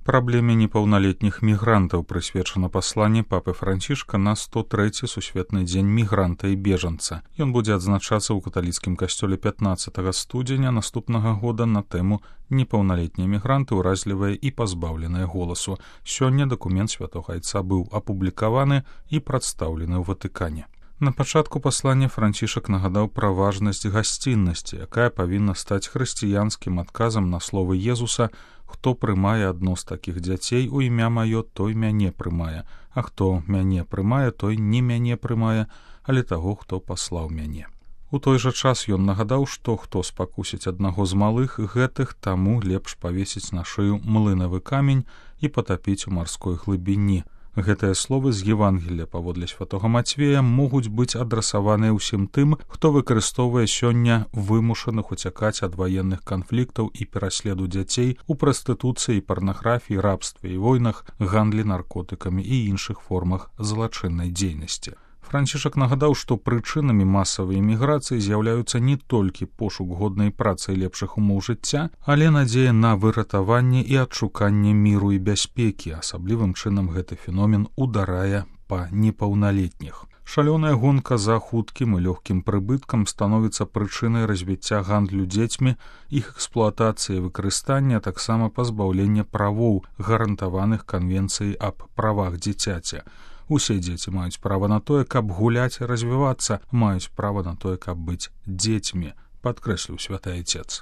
Праблеме непаўналетніх мігрантаў прысвечана пасланне папы Францішка на 103-й сусветны дзень мігранта і бежанца. Ён будзе адзначацца ў каталіцкім касцёле 15 студзеня наступнага года на тэму «Непаўналетнія мігранты ўразлівыя і пазбаўленыя голасу». Сёння дакумент святога айца быў апублікаваны і прадстаўлены ў Ватыкане. На пачатку паслання Францішак нагадаў пра важнасць гасціннасці, якая павінна стаць хрысціянскім адказам на словы Езуса: «Хто прымае адно з такіх дзяцей у імя маё, той мяне прымае, а хто мяне прымае, той не мяне прымае, але таго, хто паслаў мяне». У той жа час ён нагадаў, што хто спакусіць аднаго з малых гэтых, таму лепш павесіць на шыю млынавы камень і патапіць у марской глыбіні. Гэтыя словы з Евангелія паводле святога Мацвея могуць быць адрасаваныя ўсім тым, хто выкарыстоўвае сёння вымушаных уцякаць ад ваенных канфліктаў і пераследу дзяцей у прастытуцыі, парнаграфіі, рабстве і войнах, гандлі наркотыкамі і іншых формах злачыннай дзейнасці. Францішак нагадаў, што прычынамі масавай эміграцыі з'яўляюцца не толькі пошук годнай працы і лепшых умоў жыцця, але надзея на выратаванне і адшуканне міру і бяспекі. Асаблівым чынам гэты феномен ударае па непаўналетніх. Шалёная гонка за хуткім і лёгкім прыбыткам становіцца прычынай развіцця гандлю дзецьмі, іх эксплуатацыі і выкарыстання, а таксама пазбаўлення правоў, гарантаваных канвенцыяй аб правах дзіцяці. Усе дзеці маюць права на тое, каб гуляць і развівацца, маюць права на тое, каб быць дзецьмі, падкрэсліў святы айцец.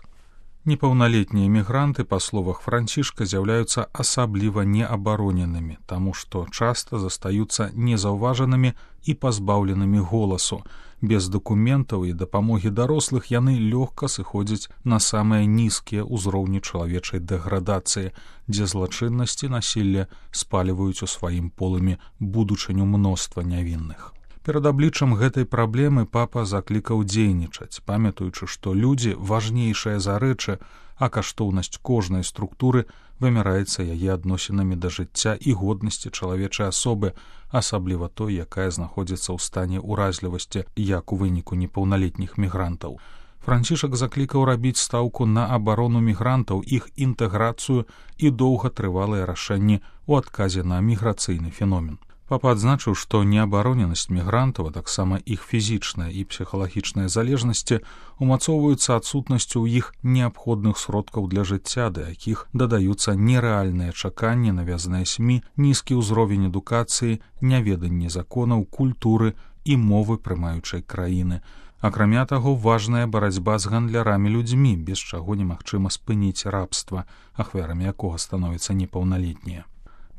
Непаўналетнія мігранты, па словах Францішка, з'яўляюцца асабліва неабароненымі, таму што часта застаюцца незаўважанымі і пазбаўленымі голасу. Без дакументаў і дапамогі дарослых яны лёгка сыходзяць на самыя нізкія ўзроўні чалавечай дэградацыі, дзе злачыннасць і насілле спаліваюць у сваім полымі будучыню мноства нявінных. Перад абліччам гэтай праблемы папа заклікаў дзейнічаць, памятаючы, што людзі важнейшыя за рэчы, а каштоўнасць кожнай структуры вымяраецца яе адносінамі да жыцця і годнасці чалавечай асобы, асабліва той, якая знаходзіцца ў стане ўразлівасці, як у выніку непаўналетніх мігрантаў. Францішак заклікаў рабіць стаўку на абарону мігрантаў, іх інтэграцыю і доўгатрывалыя рашэнні ў адказе на міграцыйны феномен. Папа адзначыў, што неабароненасць мігрантаў, а таксама іх фізічная і псіхалагічная залежнасці умацоўваюцца адсутнасцю ў іх неабходных сродкаў для жыцця, да якіх дадаюцца нерэальныя чаканні, навязаныя СМІ, нізкі ўзровень адукацыі, няведанне законаў, культуры і мовы прымаючай краіны. Акрамя таго, важная барацьба з гандлярамі людзьмі, без чаго немагчыма спыніць рабства, ахвярамі якога становяцца непаўналетнія.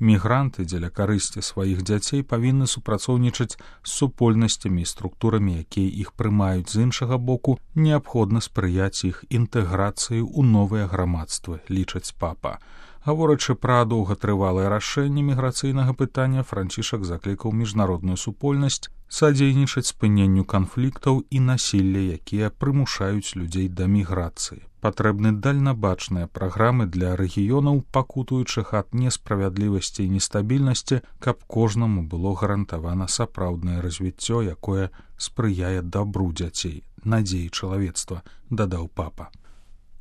Мігранты дзеля карысці сваіх дзяцей павінны супрацоўнічаць з супольнасцямі і структурамі, якія іх прымаюць. З іншага боку, неабходна спрыяць іх інтэграцыі ў новыя грамадствы, лічыць папа. Гаворачы пра доўгатрывалае рашэнне міграцыйнага пытання, Францішак заклікаў міжнародную супольнасць садзейнічаць спыненню канфліктаў і насілля, якія прымушаюць людзей да міграцыі. Патрэбны дальнабачныя праграмы для рэгіёнаў, пакутуючых ад несправядлівасці і нестабільнасці, каб кожнаму было гарантавана сапраўднае развіццё, якое спрыяе дабру дзяцей, надзеі чалавецтва, дадаў папа.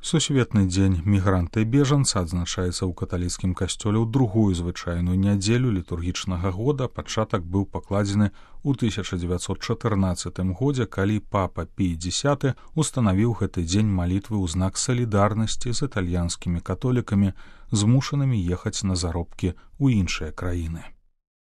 Сусветны дзень мігранта і бежанца адзначаецца ў каталіцкім касцёле ў другую звычайную нядзелю літургічнага года. Пачатак быў пакладзены ў 1914 годзе, калі папа Пій X устанавіў гэты дзень малітвы ў знак салідарнасці з італьянскімі католікамі, змушанымі ехаць на заробкі ў іншыя краіны.